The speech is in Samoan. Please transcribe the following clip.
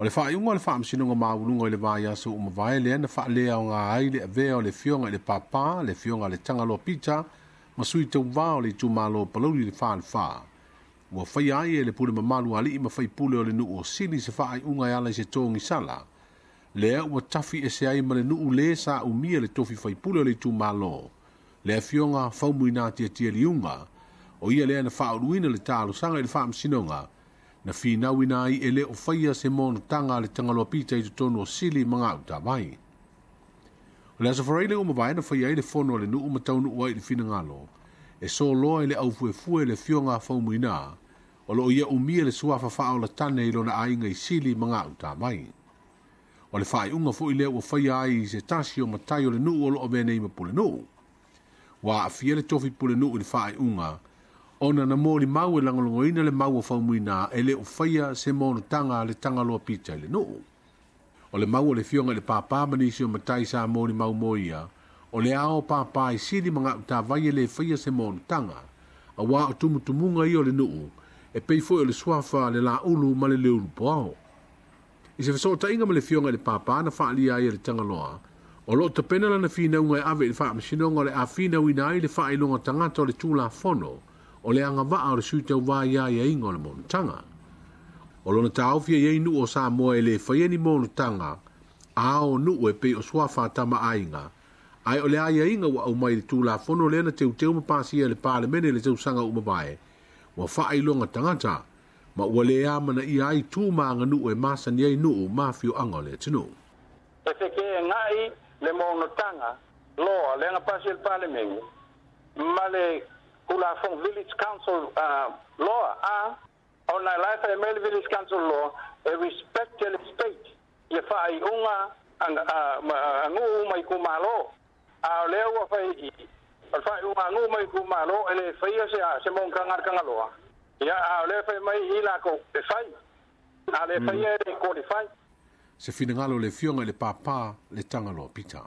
O le faaiuga o le Faamasinoga Maualuga i le vaiaso ua mavae lea na faaleaoga ai le avea o le Afioga i le Papa, le Afioga ia Letagaloa Pita ma sui tauva o le itumalo o Palauli le Falefa. Ua faia ai e le pule mamalu a alii ma faipule o le nuu o Sili se faaiuga e ala i se togisala. Lea ua tafi ese ai ma le nuu le sa umia le tofi faipule o le itumalo, le Afioga Faumuina Tiatia Liuga, o ia lea na faauluina le talosaga i le Faamasinoga, na finauina ai e le o faia se monotaga a le Tagaloa Pita i totonu o Sili ma Gautavai. O le Aso Faraile ua mavae na faia ai le fono a le nuu ma taunuu ai i le finagalo, e soloa i le aufuefue le Afioga a Faumuina, o loo ia umia le suafa faaolatane i lona aiga i Sili ma Gautavai. O le faaiuga foi lea ua faia ai i se tasi o matai o le nuu o loo avea nei ma pulenuu. Ua aafia le tofi pulenuu i le faaiuga, ona na molimau e lagolagoina le mau o Faumuina e le o faia se monotaga a le Tagaloa Pita i le nuu. O le mau o le Afioga i le Papa ma nisi o matai sa molimau mo ia, o le ao papa i Sili ma Gautavai e le faia se monotaga, auā o tumutumuga ia o le nuu, e pei foi o le suafa le Laulu ma le Leulupoao. I se fesootaiga ma le Afioga i le Papa na faaalia ai e le Tagaloa, o loo tapena lana finauga e ave i le Faamasinoga o le a finauina ai le faailoga tagata o le Tulafono, o le agavaa o le sui tauva i aiaiga o le monotaga. O lona taofi e i ai nuu o Samoa e le faia ni monotaga a o nuu e pei o suafa a tama aiga, ae o le aiaiga ua aumai i le Tulafono lea na teuteu ma pasia e le Palemene i le tausaga ua mavae, ua faailoga tagata, ma ua le amanaia ai tu ma aganuu e masani ai nuu ma afioaga o le atunuu. E fekeegai le monotaga loa lea na pasi e le Palemene ma le Tulafono Village Council Law a ona la e fai mai le Village Council Law e respect e le state ia faaiuga a nuu ma itumalo, a o lea ua fai i o le faaiuga a nuu ma itumalo e le faia se monotaga a le Tagaloa ia, a o lea fai mai i lakou e fai, a le faia e le qualify. Se finagalo o le Afioga i le Papa le Tagaloa Pita.